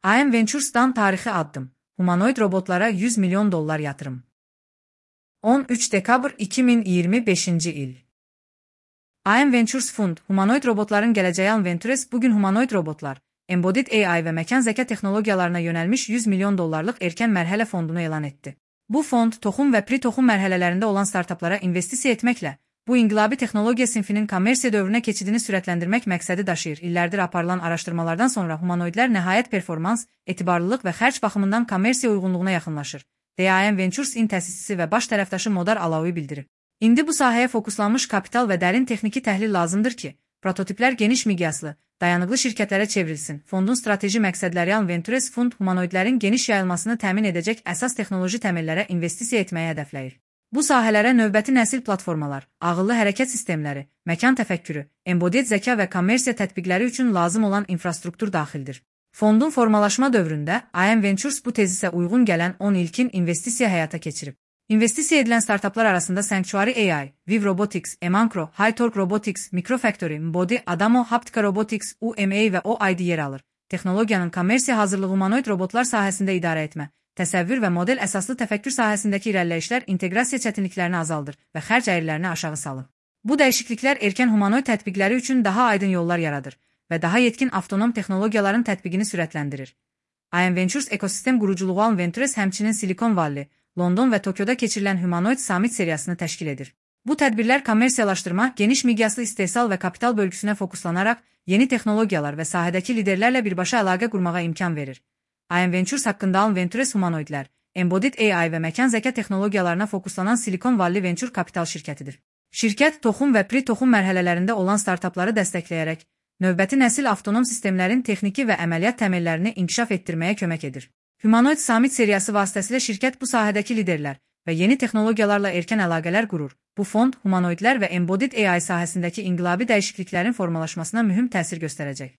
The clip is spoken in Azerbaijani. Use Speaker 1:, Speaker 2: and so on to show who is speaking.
Speaker 1: IM Ventures'dan tarixi addım. Humanoid robotlara $100 milyon yatırım. 13 dekabr 2025 il. IM Ventures Fund, humanoid robotların gələcəyi IM Ventures bugün humanoid robotlar, embodied AI və məkan zəka texnologiyalarına yönəlmiş $100 milyon erkən mərhələ fondunu elan etdi. Bu fond, toxum və pre-toxum mərhələlərində olan startaplara investisiya etməklə, bu inqilabi texnologiya sinfinin kommersiya dövrünə keçidini sürətləndirmək məqsədi daşıyır. İllərdir aparılan araşdırmalardan sonra humanoidlər nəhayət performans, etibarlılıq və xərc baxımından kommersiya uyğunluğuna yaxınlaşır, deyə IM Ventures-in təsisçisi və baş tərəfdaşı Modar Alaoui bildirir. İndi bu sahəyə fokuslanmış kapital və dərin texniki təhlil lazımdır ki, prototiplər geniş miqyaslı, dayanıqlı şirkətlərə çevrilsin. Fondun strateji məqsədləri IM Ventures Fund humanoidlərin geniş yayılmasını təmin edəcək əsas texnoloji təmellərə investisiya etməyi hədəfləyir. Bu sahələrə növbəti nəsil platformalar, ağıllı hərəkət sistemləri, məkan təfəkkürü, embodied zəka və kommersiya tətbiqləri üçün lazım olan infrastruktur daxildir. Fondun formalaşma dövründə IM Ventures bu tezisə uyğun gələn 10 ilkin investisiya həyata keçirib. İnvestisiya edilən startaplar arasında Sanctuary AI, Viv Robotics, Emancro, Hightorque Robotics, Microfactory, Mbody, Adamo, Haptika Robotics, UMA və OID yer alır. Texnologiyanın kommersiya hazırlığı humanoid robotlar sahəsində idarə etmə, təsəvvür və model əsaslı təfəkkür sahəsindəki irəliləyişlər inteqrasiya çətinliklərini azaldır və xərc əyrilərini aşağı salır. Bu dəyişikliklər erkən humanoid tətbiqləri üçün daha aydın yollar yaradır və daha yetkin avtonom texnologiyaların tətbiqini sürətləndirir. IM Ventures ekosistem quruculuğu IM Ventures həmçinin Silicon Valley, London və Tokyoda keçirilən Humanoid Summit seriyasını təşkil edir. Bu tədbirlər kommersiyalaşdırma, geniş miqyaslı istehsal və kapital bölgüsünə fokuslanaraq yeni texnologiyalar və sahədəki liderlərlə birbaşa əlaqə qurmağa imkan verir. IM Ventures haqqında IM Ventures humanoidlər, embodied AI və məkan zəka texnologiyalarına fokuslanan Silicon Valley Venture Capital şirkətidir. Şirkət toxum və pre-toxum mərhələlərində olan startapları dəstəkləyərək, növbəti nəsil avtonom sistemlərin texniki və əməliyyat təmellərini inkişaf etdirməyə kömək edir. Humanoid Summit seriyası vasitəsilə şirkət bu sahədəki liderlər və yeni texnologiyalarla erkən əlaqələr qurur. Bu fond, humanoidlər və embodied AI sahəsindəki inqilabi dəyişikliklərin formalaşmasına mühüm təsir göstərəcək.